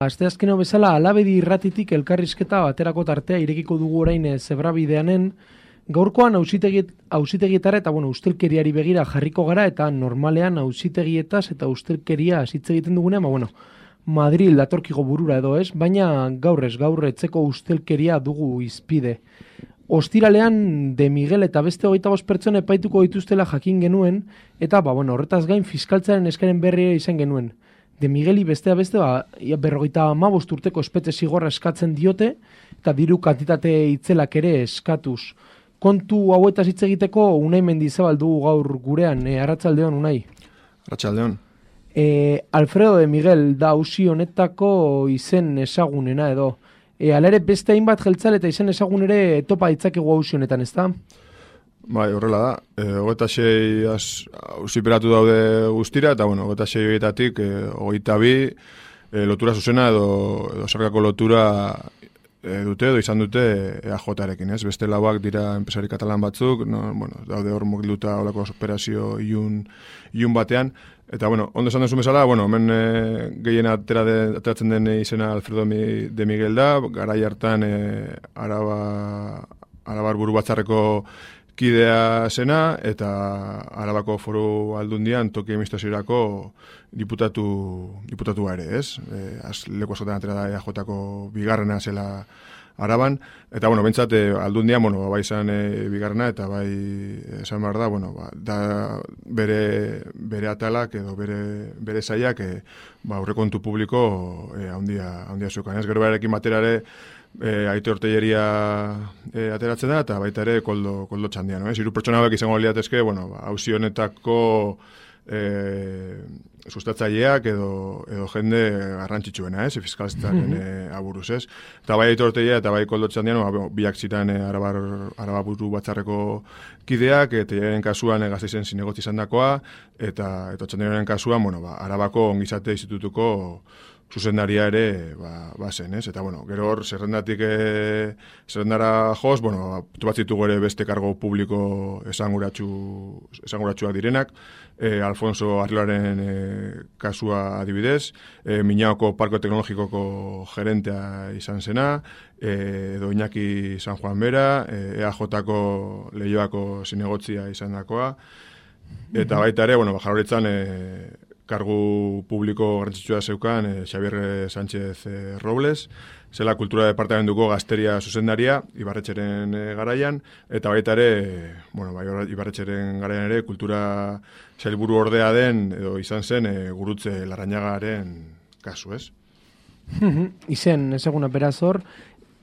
Asteazkeno bezala Alabedi irratitik elkarrizketa baterako tartea irekiko dugu orain zebrabideanen. Gaurkoan auzitegietara eta ustelkeriari begira jarriko gara eta normalean auzitegietaz eta ustelkeria hitz egiten dugunean, Madril datorkigo burura edo ez, baina gaur etzeko ustelkeria dugu izpide. Ostiralean De Miguel eta beste 25 pertsona epaituko dituztela jakin genuen eta horretaz gain fiskaltzaren eskaren berri izan genuen. De Migueli beste 55 urteko espetxe zigorra eskatzen diote eta diru kantitate itzelak ere eskatuz. Kontu hauetaz hitz egiteko Unai Mendizabal dugu gaur gurean, arratsaldeon Unai. Arratsaldeon. Alfredo De Miguel da auzi honetako izen ezagunena edo. Hala ere beste hainbat jeltzale eta izen ezagun ere topa ditzakegu auzi honetan, ezta? Bai, horrela da. 26 auziperatu daude guztira, eta 26 horietatik 22 lotura zuzena edo sarkako lotura dute edo izan dute EAJ-arekin, ez? Beste lauak dira enpresari katalan batzuk, daude hor mugilduta holako operazio ilun batean, eta ondo esan duzu bezala, hemen gehien ateratzen den izena Alfredo De Miguel da, garai hartan Arabar buru batzarreko kidea zena, eta Arabako Foru Aldundian toki administraziorako diputatua ere, ez? Leku askotan atera da EAJ-ako bigarrena zela Araban, eta bentsat Aldundian, bai izan bigarrena, eta bai esan behar da, da bere atalak edo bere zaiak aurrekontu publiko handia zeukan, ez? Gero berekin batera ere Aitor Telleria ateratzen da, eta baita ere koldo txandian. Hiru pertsona hauek izango liatezke, auzi honetako sustatzaileak edo jende garrantzitsuena, fiskaltzaren aburuz, ez? Eta bai Aitor Telleria eta bai koldo txandian, biak ziren Araba buru batzarreko kideak, Telleriaren kasuan Gasteizen zinegotzi izan dakoa, eta txandiaren kasuan, Arabako ongizate institutuko zuzendaria ere zen, ez? Eta, gero hor, zerrendara joz, tubatzitugu ere beste kargo publiko esanguratsuak direnak, Alfonso Arriolaren kasua adibidez, Miñaoko Parko Teknologikoko gerentea izan zena, edo Iñaki San Juan Bera, EAJ-ko Leioako zinegotzia izan dakoa, eta baita ere, Jaurlaritzan kargu publiko garrantzitsua zeukan Xabier Sánchez Robles, zela kultura departamentuko gazteria zuzendaria, Ibarretxeren garaian, eta baita ere, Ibarretxeren garaian ere, kultura sailburu ordea den, edo izan zen, Gurutze Larrañagaren kasu, ez? Izen, ezaguna beraz hor,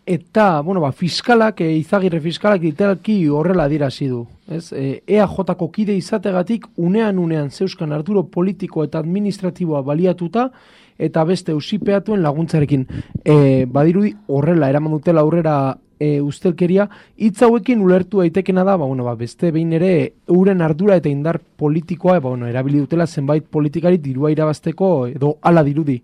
eta, fiskalak, Izagirre fiskalak literalki horrela adierazi du. EAJ-ko kide izategatik unean zeuskan arduro politiko eta administratiboa baliatuta eta beste auzipeatuen laguntzarekin. Badirudi horrela eraman dutela aurrera ustelkeria, hitz hauekin ulertu daitekena da, beste behin ere euren ardura eta indar politikoa, erabili dutela zenbait politikari dirua irabazteko edo hala dirudi.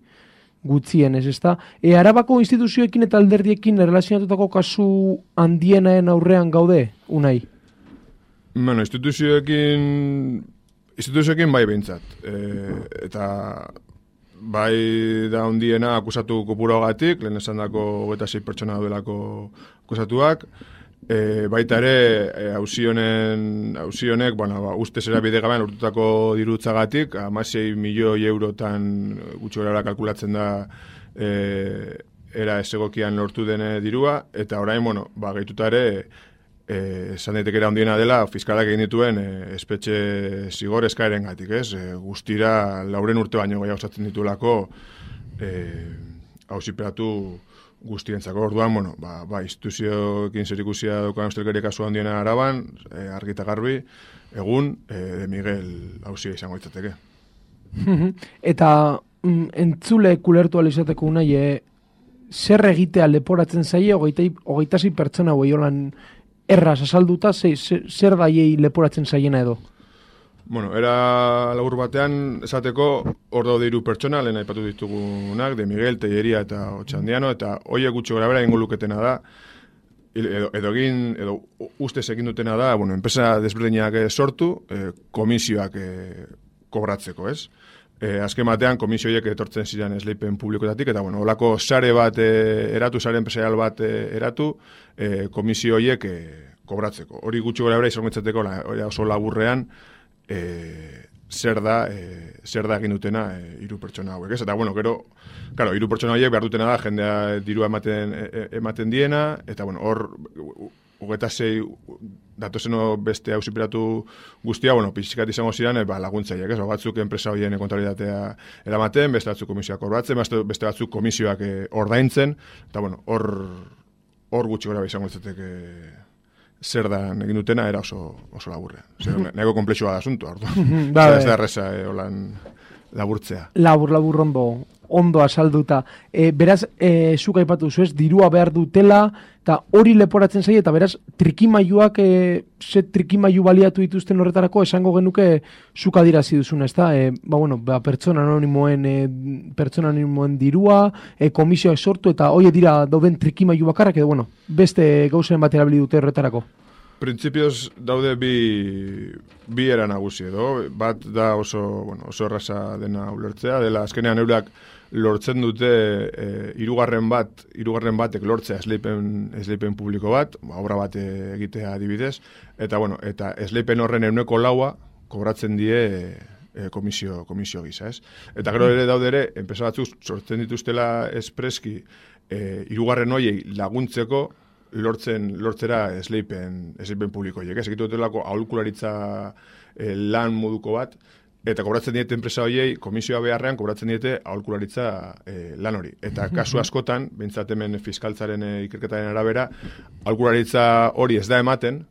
Gutzien, ez da? Arabako instituzioekin eta alderdiekin erlazionatutako kasu handienaen aurrean gaude, Unai? Instituzioekin bai behintzat. Eta bai da handiena akusatu kopurogatik, lehen esan dako 26 pertsona daudelako akusatuak, baita ere, auzi honek, ustez erabide gabean urtutako dirutzagatik, 16 milioi eurotan gutxorara kalkulatzen da era ezegokian lortu dene dirua, eta orain, gehituta ere, esan daitekera handiena dela, fiskalak egin dituen espetxe zigor eskaeren gatik, ez? Guztira, 4 urte baino gehiago osatzen ditulako auziperatu guztientzako. Orduan, instituzioekin zerikusia daukan ustelkeria kasu handiena Araban, argi eta garbi, egun De Miguel auzia izango litzateke. Eta entzule kulertu alizateko Unai, zer egitea leporatzen zaie, 26 pertsona holan erraz azalduta, zer daiei leporatzen zaiena edo? Era labur batean esateko hor daude 3 pertsona, lehen aipatu ditugunak, De Miguel, Telleria eta Otxandiano, eta hoiek gutxi gorabehera egingo luketena da, edo ustez egin dutena da, enpresa desberdinak sortu, komisioak kobratzeko, ez? azken batean komisioiek etortzen ziren esleipen publikoetatik, eta bueno, olako sare bat eratu, sare enpresarial bat eratu, komisioiek kobratzeko. Hori gutxi gora bera izangoetzateko oso laburrean zer da egin dutena hiru pertsona hauek, ez? Eta bueno, gero, claro, hiru pertsona hauek behar dutena da jendea dirua ematen diena, eta bueno, hor 26 datozeno beste auziperatu guztia, bueno, pixkat izango ziren laguntzaileak, ez? Batzuk enpresa horien kontabilitatea eramaten, beste batzuk komisioak orbatzen, beste batzuk komisioak ordaintzen, eta bueno, hor gutxi gora izango izateke zer da egin dutena era oso laburrean. Nahiko komplexua da asunto, orduan. Ez da erreza holan laburtzea. Labur ondo asalduta. Beraz, zuk aipatu zu, ez, dirua behar dutela, eta hori leporatzen zaie, eta beraz, trikimailuak, ze trikimailu baliatu dituzten horretarako, esango genuke zuk adirazi duzuna, ez da? Pertsona anonimoen dirua, komisioak sortu, eta hori dira dauden trikimailu bakarrak, edo, bueno, beste gauzen bat erabili dute horretarako. Printzipioz daude bi era nagusi edo, bat da oso erraza dena ulertzea, dela azkenean eurak lortzen dute hirugarren batek lortzea esleipen publiko bat, obra bat egitea adibidez, eta esleipen horren 4% kobratzen die komisio gisa, ez? Eta gero ere daude ere, enpresa batzuk sortzen dituztela espreski hirugarren horiei laguntzeko lortzera esleipen publiko horiek, ez? Egitu dutelako aholkularitza lan moduko bat, eta kobratzen diete enpresa horiei, komisioa beharrean kobratzen diete aholkularitza lan hori. Eta kasu askotan, behintzat hemen fiskaltzaren ikerketaren arabera, aholkularitza hori ez da ematen,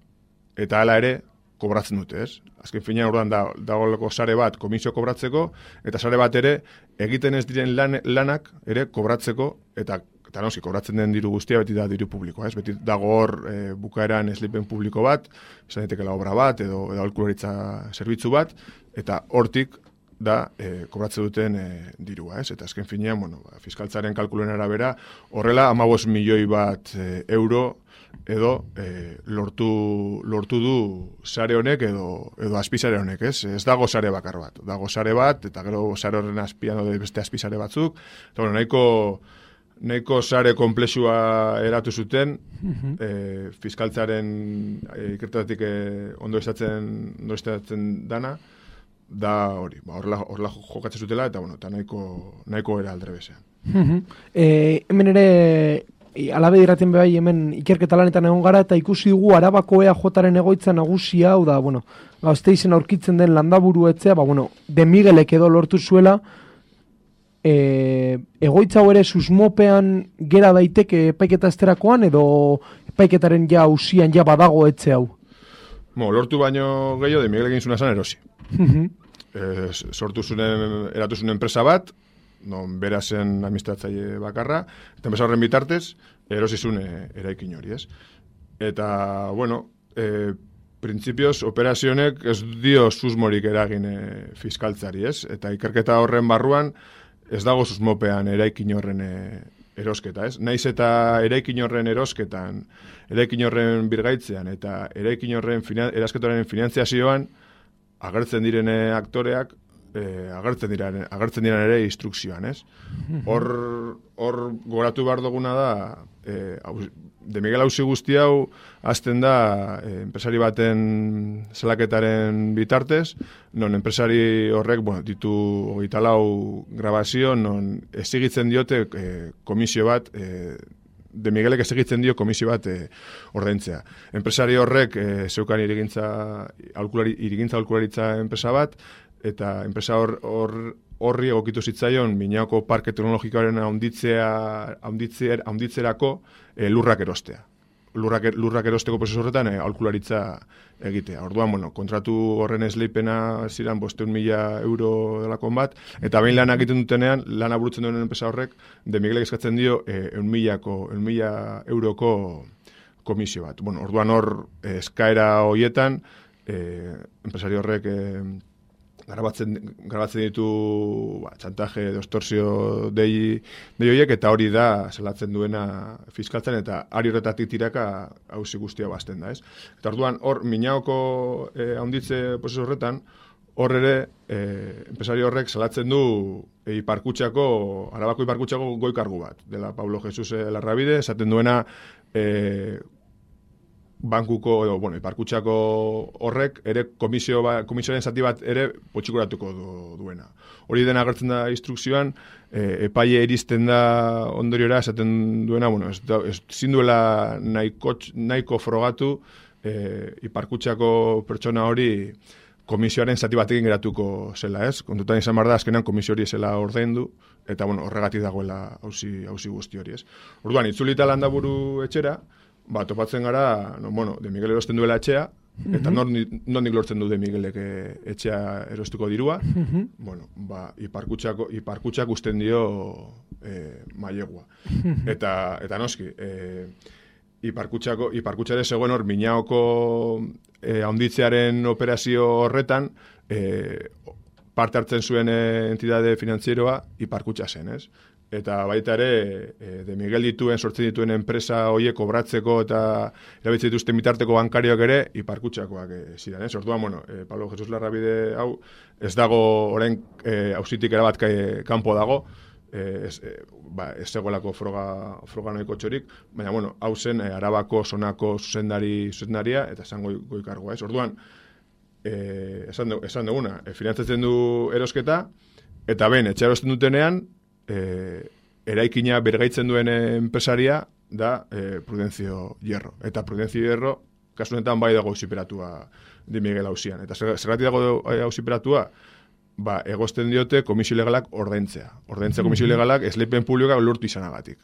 eta hala ere kobratzen dute, ez? Azken finean orduan dagoelako sare bat komisio kobratzeko, eta sare bat ere egiten ez diren lanak ere kobratzeko, eta noski, kobratzen den diru guztia beti da diru publikoa, ez? Beti dago hor bukaeran esleipen publiko bat, esan daitekeela obra bat, edo aholkularitza zerbitzu bat, eta hortik da kobratzen duten dirua, ez? Eta azken finean, fiskaltzaren kalkuluen arabera, horrela 15 milioi bat euro edo lortu du sare honek edo azpisare honek, ez? Ez dago sare bakar bat. Dago sare bat, eta gero sare horren azpian beste azpisare batzuk, eta nahiko sare komplexua eratu zuten, fiskaltzaren ikertatik ondo estatzen dana, da hori, horrela jokatzen zutela, eta nahiko era aldrebezean. Hemen ere, alabe diraten behai, hemen ikerketa lanetan egon gara, eta ikusi dugu Arabako EAJaren egoitza nagusia, hau da, Gasteizen aurkitzen den landaburu etzea, De Miguelek edo lortu zuela, egoitza hau ere susmopean gera daiteke epaiketa esterakoan, edo epaiketaren auzian badago etxe hau? Lortu baino gehiago, De Miguel egin zuna zan erosi. Eratu zuen enpresa bat, non bera zen administratzaile bakarra, eta enpresa horren bitartez, erosi zuen eraikin hori, ez? Eta, printzipioz, operazionek ez dio susmorik eragin fiskaltzari, ez? Eta ikerketa horren barruan, ez dago susmopean eraikin horren erosketa, ez? Naiz eta eraikin horren erosketan, eraikin horren birgaitzean, eta eraikin horren erasketaren finantziazioan, agertzen diren aktoreak, agertzen diren ere instrukzioan, ez? Hor goratu behar duguna da, De Miguel auzi guzti hau hasten da enpresari baten salaketaren bitartez, non enpresari horrek ditu 24 grabazio, non ezigitzen diote komisio bat, De Miguelek ezigitzen dio komisio bat ordaintzea. Enpresari horrek zeukan irigintza aholkularitza enpresa bat, eta enpresa horri egokitu zitzaion Miñaoko Parke Teknologikoaren haunditzerako lurrak erostea. Lurrak erosteko prozesu horretan aholkularitza egitea. Orduan, kontratu horren esleipena ziren 500.000 euro delakon bat, eta behin lana egiten dutenean, lana burutzen duen enpresa horrek, De Miguelek eskatzen dio 100.000 euroko komisio bat. Orduan hor eskaera horietan, enpresari horrek grabatzen ditu txantaje, extorsio dei horiek, eta hori da salatzen duena fiskaltzan, eta ari horretatik tiraka auzi guztia bazten da, ez? Eta orduan hor Miñaoko haunditze prozesu horretan, hor ere, enpresario horrek salatzen du Arabako Iparkutxako goi-kargu bat, dela Pablo Jesus Larrabide, esaten duena bankuko, Iparkutxako horrek ere komisioaren zati bat ere potxikuratuko duena. Hori dena agertzen da instrukzioan, epaile iristen da ondoriora, esaten duena, ezin duela nahiko frogatu Iparkutxako pertsona hori komisioaren zati batekin geratuko zela, ez? Kontutan izan behar da, azkenan komisio hori zela ordaindu, eta horregatik dagoela auzi guzti hori, ez? Orduan, itzulita Landaburu etxera, topatzen gara, De Miguel erosten duela etxea, eta nondik lortzen du De Miguelek etxea erostuko dirua, Iparkutxak usten dio mailegua. Eta noski, Iparkutxare zegoen hor Miñaoko handitzearen operazio horretan parte hartzen zuen entidade finantzieroa Iparkutxa zen, ez? Eta baita ere, De Miguel sortzen dituen enpresa horiek kobratzeko eta erabiltzen dituzten bitarteko bankarioak ere Iparkutxakoak ziren, ez? Orduan, Pablo Jesus Larrabide hau ez dago orain auzitik erabat kanpo dago, ez zegoelako froga noiko txorik, baina, hau zen Arabako zonako zuzendaria eta esan goi-kargoa, ez? Orduan, esan duguna, finantzatzen du erosketa, eta ben, etxe erosten dutenean, eraikina bergaitzen duen enpresaria da Prudencio Hierro. Eta Prudencio Hierro, kasu honetan bai dago auziperatua De Miguel auzian. Eta zergatik dago auziperatua? Egozten diote komisio legalak ordaintzea. Ordaintzea komisio legalak esleipen publikoak lortu izanagatik.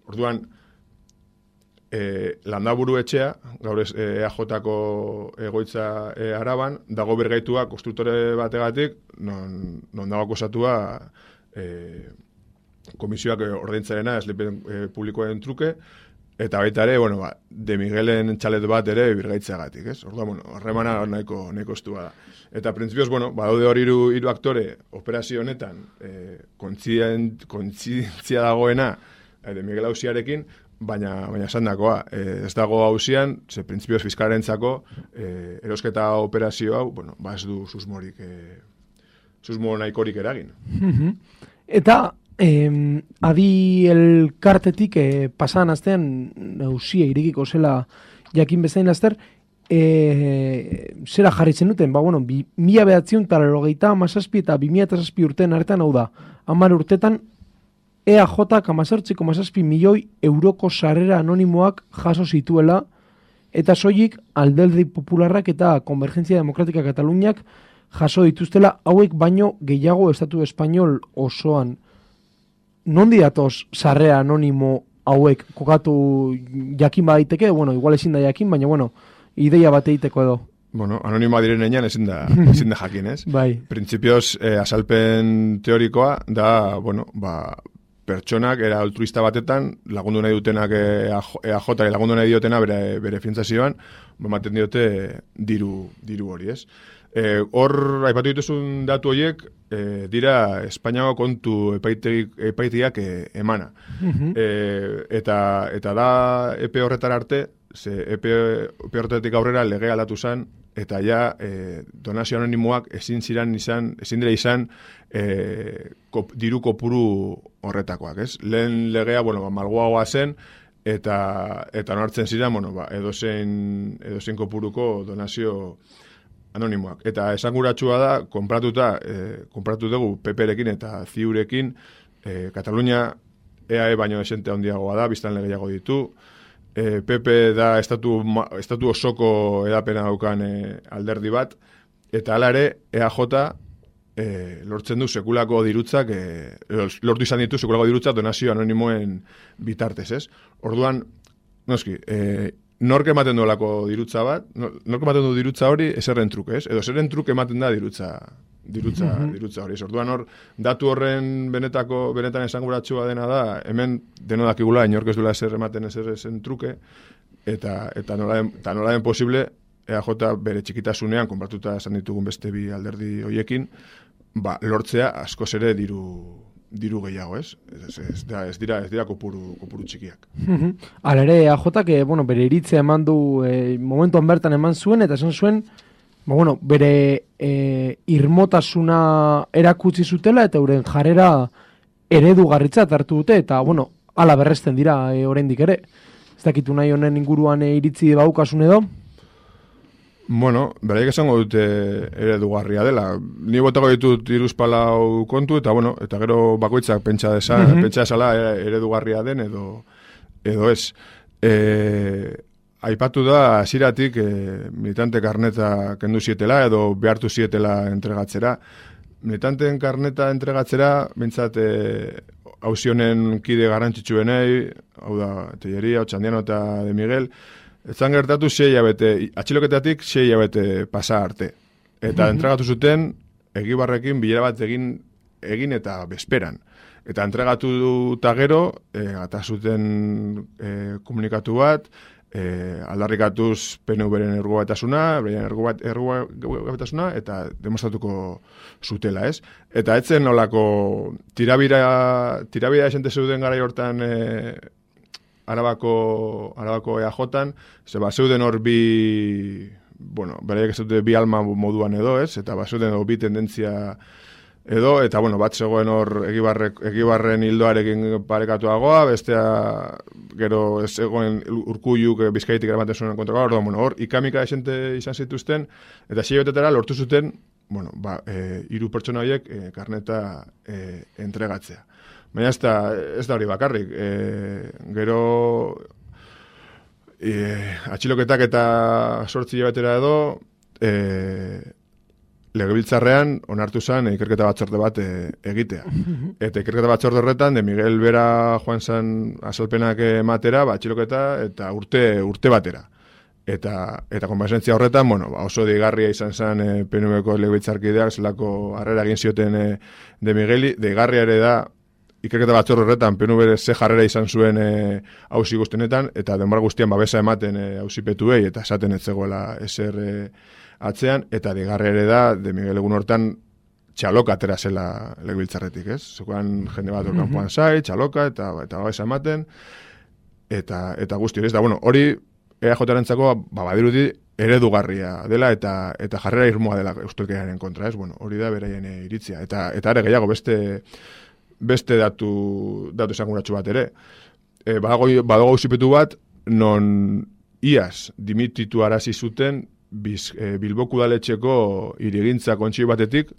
Orduan, Landaburu etxea, gaur EAJ-ko egoitza Araban, dago bergaitua konstruktore bategatik, non dago akusatua komisioak ordaintzarena esleipen publikoen truke, eta baita ere, De Miguelen txalet bat ere birgaitzeagatik, ez? Orduan, harremana nahiko estua da. Eta, printzipioz, badaude hori hiru aktore operazio honetan kontzientzia dagoena De Miguel auziarekin, baina esan dakoa, ez dago auzian, ze printzipioz fiskalarentzako erosketa operazio hau, ez du susmo nahikorik eragin. Eta adi elkartetik pasadan astean auzia irekiko zela jakin bezain laster, zera jarritzen duten, 1997 eta 2007 urtean artean, hau da, 10 urtetan EAJak 18,7 milioi euroko sarrera anonimoak jaso zituela, eta soilik Alderdi Popularrak eta Konvergentzia Demokratika Kataluniak jaso dituztela, hauek baino gehiago estatu espainol osoan. Nondi datoz sarrera anonimo hauek kokatu jakin badaiteke, igual ezin da jakin, baina ideia bat egiteko edo. Anonimoa direnean ezin da jakin, ez? Bai. Printzipioz, azalpen teorikoa da, pertsonak era altruista batetan lagundu nahi dutenak EAJ lagundu nahi diotena bere finantzazioan, ematen diote diru hori, ez? Hor, aipatu dituzun datu horiek, dira Espainiako kontu epaitegiak emana. Eta da epe horretar arte, epe horretatik aurrera lege aldatu zen, eta ja donazio anonimoak ezin dira izan diru kopuru horretakoak, ez? Lehen legea, malguagoa zen, eta onartzen ziren, edozein kopuruko donazio anonimoak. Eta esanguratsua da, konpratu dugu PP-rekin eta CiUrekin, Katalunia EAE baino esente handiagoa da, biztan gehiago ditu, PP da estatu osoko edapena daukan alderdi bat, eta hala ere EAJ lortzen du sekulako dirutzak, lortu izan ditu sekulako dirutzak donazio anonimoen bitartez, ez? Orduan, noski, nork ematen duelako dirutza bat, nork ematen du dirutza hori eserren truke, ez? Edo eserren truke ematen da dirutza hori. Orduan hor, datu horren benetan esanguratsua dena da, hemen deno dakigula, inork ez duela eser ematen eserren truke, eta nola den posible, EAJ bere txikitasunean, konpartuta esan ditugun beste bi alderdi hoiekin, lortzea askoz ere diru gehiago, ez? Ez dira kopuru txikiak. Hala ere, EAJak, bere iritzea eman du, momentuan bertan eman zuen, eta esan zuen, bueno, bere irmotasuna erakutsi zutela eta euren jarrera eredugarritzat hartu dute, eta, bueno, hala berresten dira oraindik ere. Ez dakitu nahi honen inguruan iritzi baukasun edo? Bueno, beraiek esango dute eredugarria dela. Ni botako ditut hiruzpalau kontu, eta bueno, eta gero bakoitzak pentsa desala eredugarria den edo ez. Aipatu da hasieratik militante karneta kendu zietela edo behartu zietela entregatzera. Militanteen karneta entregatzera, bintzat hauzi honen kide garrantzitsuenei, hau da, Telleria, Otxandiano eta De Miguel, etzan gertatu 6 hilabete, atxiloketatik 6 hilabete pasa arte. Eta entregatu zuten, Egibarrekin bilera bat egin eta bezperan. Eta entregatu eta gero, gata zuten komunikatu bat, aldarrikatuz PNV-ren ergogatasuna, beren ergogatasuna, eta demostratuko zutela, ez? Eta etzen nolako tirabira esente zeuden garai hortan Arabako EAJ-an, zeuden hor bueno, beraiek ez dute bi alma moduan edo, ez? Eta zeuden bi tendentzia edo, eta, bueno, bat zegoen hor Egibarren hildoarekin parekatuagoa, bestea gero ez zegoen Urkulluk Bizkaitik eramaten zuen kontrakoa, orduan, bueno, hor ikamika esente izan zituzten, eta 6 hilabetetara lortu zuten, bueno, 3 pertsona horiek karneta entregatzea. Baina ez da hori bakarrik. Gero atxiloketak eta 8 hilabetera edo Legebiltzarrean onartu zen ikerketa batzorde bat egitea. Eta ikerketa batzorde horretan, De Miguel bera joan zen azalpenak ematera, atxiloketa eta urte batera. Eta konpasentzia horretan, bueno, oso deigarria izan zen PNV-ko legebiltzarkideak zelako harrera egin zioten De Migueli. Deigarria ere da ikerketa batzorde horretan PNV ze jarrera izan zuen auzi guztienetan, eta denbora guztian babesa ematen auzipetuei eta esaten ez zegoela ezer atzean, eta digarre ere da, De Miguel egun hortan txaloka atera zela legebiltzarretik, ez? Zukoan jende bat kanpoan zai, txaloka, eta babesa ematen, eta guzti hori, ez da, bueno, hori EAJ-arentzako badirudi eredugarria dela, eta jarrera irmoa dela eustelkeriaren kontra, ez? Bueno, hori da beraien iritzia, eta are gehiago beste datu esanguratsu bat ere. Badago auzipetu bat, non iaz dimititu arazi zuten Bilboko udaletxeko hirigintza kontsei batetik,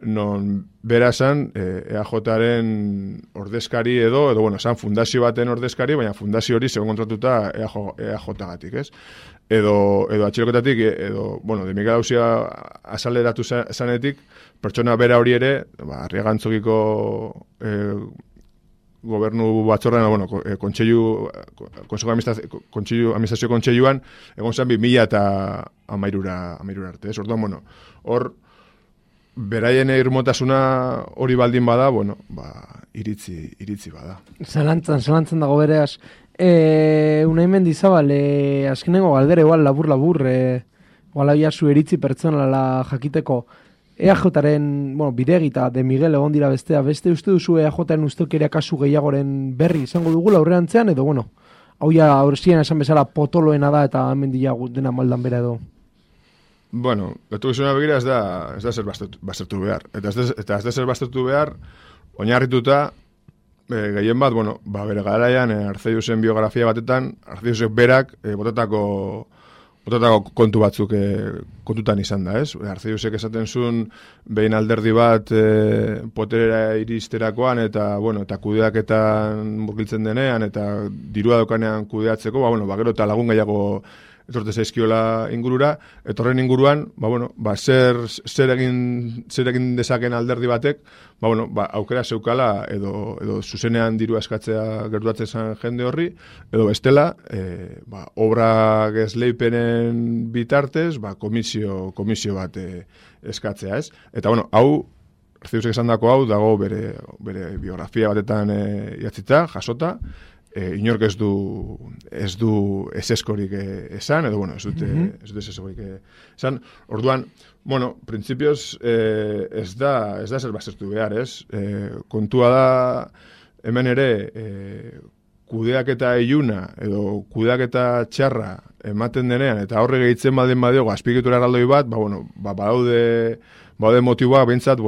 non bera zan EAJ-aren ordezkari edo bueno, zan fundazio baten ordezkari, baina fundazio hori segon kontratuta EAJ-gatik, ez? Edo atxiloketatik, bueno, De Miguel Auzia azaleratu zanetik, pertsona bera hori ere, Arriagantzokiko gobernu batzorrean, bueno, administrazio kontseiluan, egon zen 2013 arte, ez? Orduan, bueno, hor, beraien irmotasuna hori baldin bada, bueno, iritzi bada. Zalantzan dago bereaz. Unai Mendizabal, azkenengo galdera, igual, labur, igual abia zu iritzi pertsonala jakiteko, EAJ-aren, bueno, Bidegi eta De Miguel egon dira beste uste duzu EAJ-aren ustelkeria kasu gehiagoren berri izango dugu aurrerantzean, edo, bueno, hau ja aurrezien esan bezala potoloena da eta hemen dena maldan bera edo. Bueno, betu gizuna begira ez da zer baztertu behar. Eta ez da zer baztertu behar, oinarrituta, gehien bat, bueno, bere garaian, Arzeiusen biografia batetan, Arzeiusek berak botatako kontu batzuk kontutan izan da, ez? Arzeiusek esaten zuen behin alderdi bat poterera iristerakoan eta kudeaketan murgiltzen denean eta dirua daukanean kudeatzeko, gero eta lagun gehiago etorte zaizkiola ingurura, etorren inguruan, zer egin dezaken alderdi batek, aukera zeukala edo zuzenean diru eskatzea gertuatzen zen jende horri, edo bestela, obra gesleipenen bitartez, komisio bat eskatzea, ez? Eta, hau, Arziusek esan dako hau, dago bere biografia batetan idatzita, jasota, inork ez du eseskorik esan, edo, ez dut eseskorik esan. Orduan, printzipioz ez da zer baztertu behar, ez? Kontua da, hemen ere, kudeaketa iluna, edo kudeaketa txarra ematen denean, eta horre gehitzen baldin badiogu azpiegitura erraldoi bat, badaude motiboak bentsat,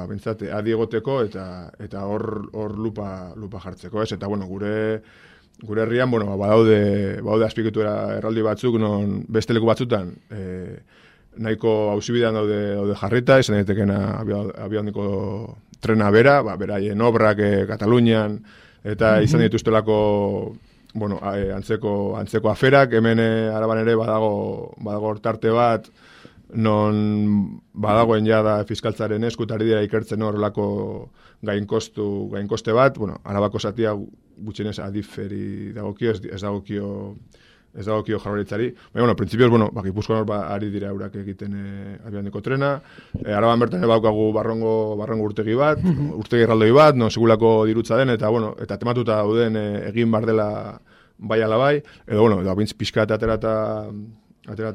bentsat adi egoteko eta hor lupa jartzeko, ez? Eta, gure herrian, badaude azpiegitura erraldoi batzuk, non beste leku batzutan, nahiko auzibidean daude jarrita, izan daitekena abiaduneko trena bera, beraien obrak Katalunian, eta izan dituztelako antzeko aferak, hemen Araban ere badago tarte bat, non badagoen jada fiskaltzaren eskutari dira ikertzen horrelako gainkoste bat, Arabako zatia gutxienez adiferi dagokio, ez dagokio Jaurlaritzari. Printzipioz, Gipuzkoan hor ari dira eurak egiten abiaduneko trena. Araban bertan baukagu barrongo urtegi bat, urtegi erraldoi bat, segulako dirutza den, eta tematuta dauden egin bar dela bai ala bai, edo, bintz pixka eta aterata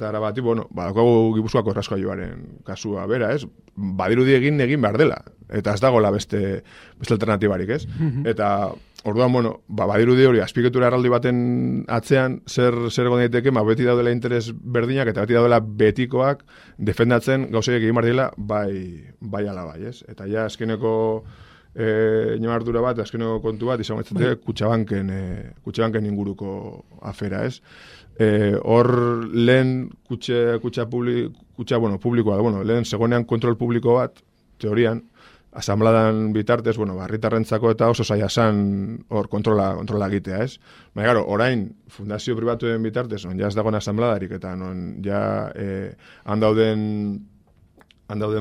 Arabati, daukagu Gipuzkoako erraskoailuaren kasua bera, ez? Badirudi egin behar dela, eta ez dagoela beste alternatibarik, ez? Eta orduan, badirudi hori, azpiegitura erraldi baten atzean, zer egon daiteke, beti daudela interes berdinak, eta beti daudela betikoak defendatzen gauzeiek egin behar dela, bai ala bai, ez? Eta ja, azkeneko inamardura bat, azkeneko kontu bat, izan gaitzate, Kutxabanken inguruko afera, ez? Hor lehen kutxa publikoa, lehen zegoenean kontrol publiko bat, teorian, asambladan bitartez, herritarrentzako eta oso zaila zan hor kontrola egitea, ez? Baina, orain, fundazio pribatuen bitartez, ja ez dagoen asambladarik, eta ja han dauden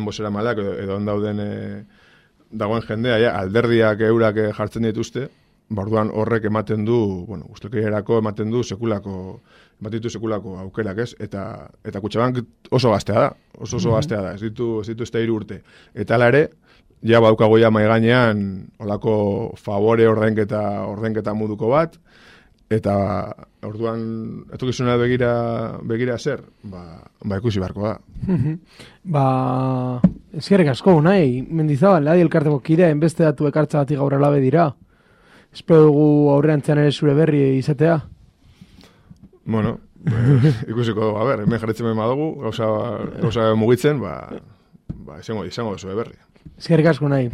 bosera malak, edo han dagoen jendea, alderdiak eurak jartzen dituzte, orduan horrek ematen du, ustelkeriarako ematen du sekulako aukerak, ez? Eta Kutxabank oso gaztea da, oso gaztea da, ez ditu ez da 3 urte. Eta ala ere, ja badaukago ja mahai gainean olako favore ordenketa moduko bat, eta orduan etorkizuna begira zer, ikusi beharko da. Eskerrik asko, nahi, Mendizabal, adi elkarteko kideen beste datu ekartzagatik gaur alabe dira. Espero dugu aurreantzean ere zure berri izatea. Ikusiko dugu, hemen jarritzen behar dugu, gauza mugitzen, izango zure berri. Eskerrik asko, nahi.